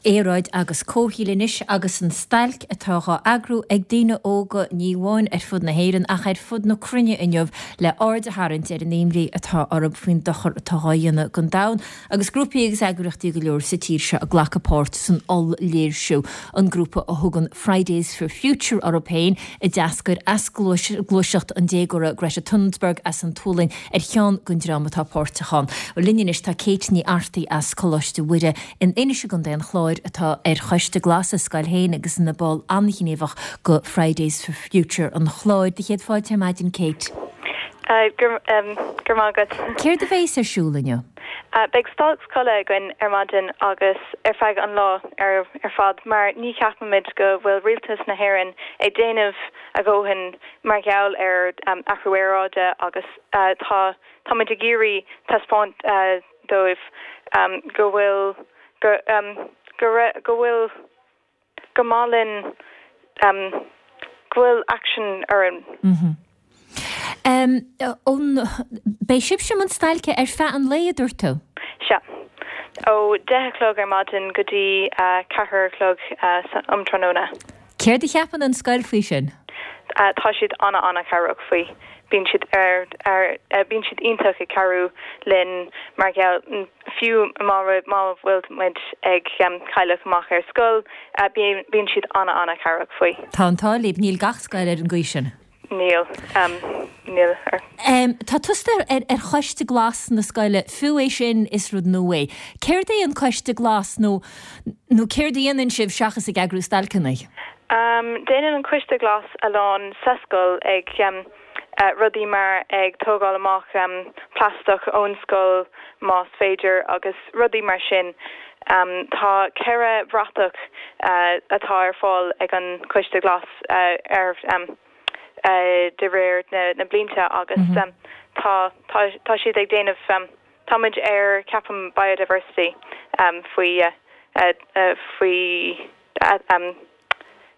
Aeráid agus comhshaoil anois agus an stailc atá dhá eagrú ag daoine óga ní amháin ar fud na hÉireann ach ar fud na cruinne inniu le aird a tharraingt ar an imní atá orthu faoin dochar atá dhá dhéanamh don domhan agus grúpaí agus eagraíochtaí go leor sa tír seo ag glacadh páirt san oll-léirsiú. An grúpa a thugann Fridays for Future orthu féin a d'eascair as gluaiseacht an déagóra Greta Thunberg as an tSualainn ar cheann den dream atá páirteach ann. Linn anois tá Kate Ní Artaí as Coláiste Mhuire in Inis i gContae an Chláir atá ar Choiste Glas a scoil féin agus ina ball an-ghníomhach go Fridays for Future an Chláir. Do chéad fáilte ar maidin, Kate. Go raibh maith agat. Céard a bheas ar siúl inniu? Beidh stailc scoile againn ar maidin agus ar feadh an lá ar fad mar ní cheapaimid go bhfuil rialtas na hÉireann ag déanamh a dhóthain mar gheall ar athrú aeráide agus tá táimid ag iarraidh taispeáint dóibh go bhfuil go go go bhfuil gur maith linn go bhfuil action orainn. Beidh sibhse i mbun stailce ar feadh an lae, a dúirt tú? Sea. Ó 10 a chlog ar maidin go dtí 4 a chlog um tráthnóna. Céard a cheapann an scoil faoi sin? Tá siad ana-ana-chabhrach faoi. Bíonn siad ar, ar, bíonn siad iontach ag cabhrú linn mar gheall, fiú má má bhfuil muid ag cailleadh amach ar scoil, bíonn, bíonn siad ana-ana-chabhrach faoi. Tá an t-ádh libh, níl gach scoil ar an gcaoi sin. Níl, níl. Tá tusa ar ar Choiste Glas na scoile, fiú é sin is rud nua é. Céard é an Coiste Glas nó nó céard a dhéanann sibh seachas ag eagrú stailceanna? Déanann an Coiste Glas a lán sa scoil ag rudaí mar ag tógáil amach plaisteach ón scoil más féidir agus rudaí mar sin. Tá 4 bhratach atá ar fáil ag an Coiste Glas ar de réir na blianta agus tá tá siad ag déanamh táimid ar ceapaim biodiversity faoi faoi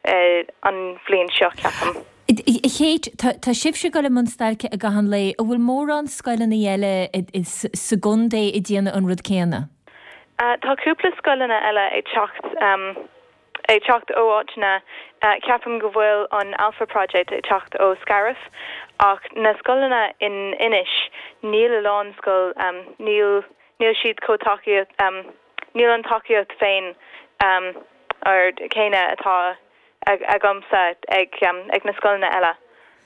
an bhliain seo ceapaim. A Kate, tá sibhse ag dul i mbun stailce i gcaitheamh an lae. An bhfuil mórán scoileanna eile sa gcontae ag déanamh an rud céanna? Tá cúpla scoileanna eile ag teacht ag teacht ó áiteanna, ceapaim go bhfuil an Alpha Project ag teacht ó Scariff ach na scoileanna in Inis níl a lán scoil níl níl siad chomh tacaíocht níl an tacaíocht féin or céanna atá agamsa ag ag na scoileanna eile.